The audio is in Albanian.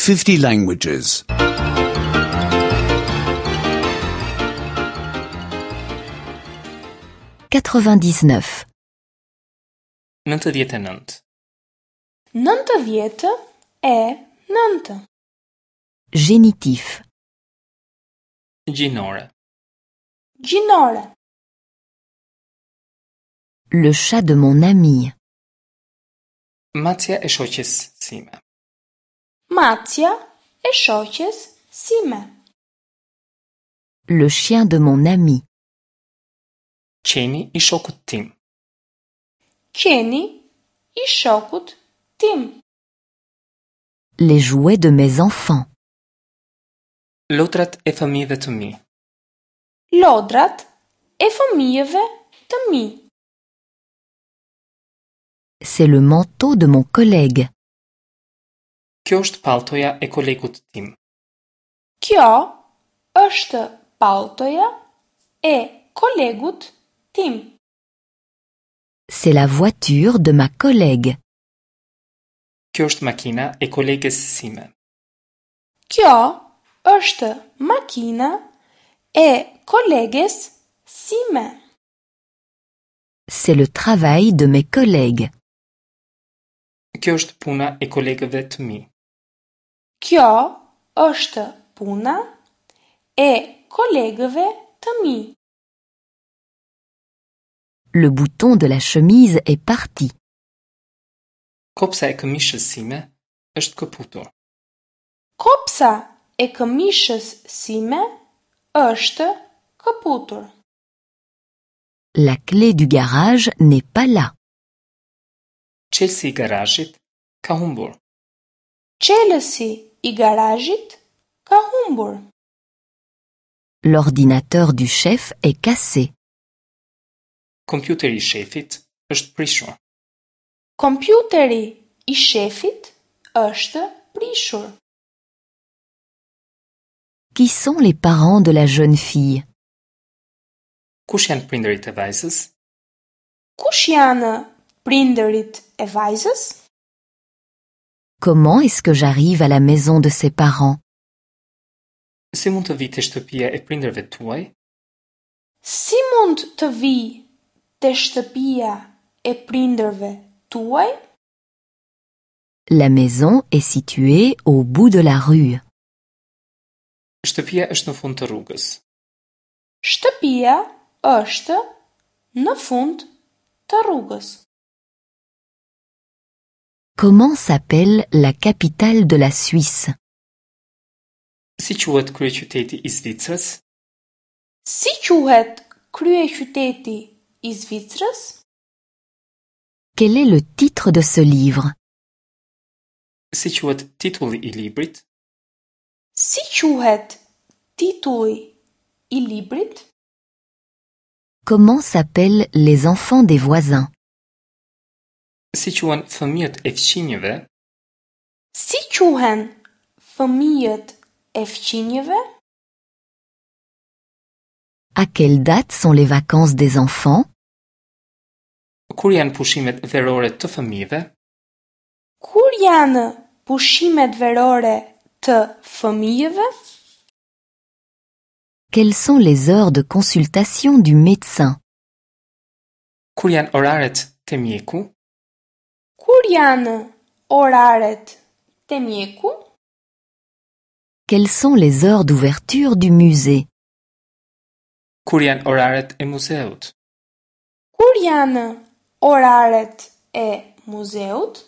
50 languages. 99. 99. 99. Génitif. Gjinore. Gjinore. Le chat de mon ami. Macja e shoqes sime. Macja e shoqes sime. Le chien de mon ami. Qeni i shokut tim. Qeni i shokut tim. Les jouets de mes enfants. Lodrat e fëmijëve të mi. Lodrat e fëmijëve të mi. C'est le manteau de mon collègue. Kjo është palltoja e kolegut tim. Kjo është palltoja e kolegut tim. C'est la voiture de ma collègue. Kjo është makina e koleges sime. Kjo është makina e koleges sime. C'est le travail de mes collègues. Kjo është puna e kolegëve të mi. Kjo është puna e kolegëve të mi. Le bouton de la chemise est parti. Kopsa e këmishës sime është këputur. Kopsa e këmishës sime është këputur. La clé du garage n'est pas là. Çelësi i garazhit ka humbur. Çelësi i garazhit ka humbur. L'ordinateur du chef est cassé. Kompjuteri i shefit është prishur. Kompjuteri i shefit është prishur. Qui sont les parents de la jeune fille? Kush janë prindërit e vajzës? Kush janë prindërit e vajzës? Comment est-ce que j'arrive à la maison de ses parents? Si mund të vij te shtëpia e prindërve tuaj? Si mund të vij te shtëpia e prindërve tuaj? La maison est située au bout de la rue. Shtëpia është në fund të rrugës. Shtëpia është në fund të rrugës. Comment s'appelle la capitale de la Suisse? Si quhet kryeqyteti i Zvicrës? Si quhet kryeqyteti i Zvicrës? Quel est le titre de ce livre? Si quhet titulli i librit? Si quhet titulli i librit? Comment s'appellent les enfants des voisins? Si quhen fëmijët e fqinjëve? Si quhen fëmijët e fqinjëve? À quelle date sont les vacances des enfants? Kur janë pushimet verore të fëmijëve? Kur janë pushimet verore të fëmijëve? Quelles sont les heures de consultation du médecin? Kur janë oraret te mjeku? Kur janë oraret te mjeku? Quelles sont les heures d'ouverture du musée? Kur janë oraret e muzeut? Kur janë oraret e muzeut?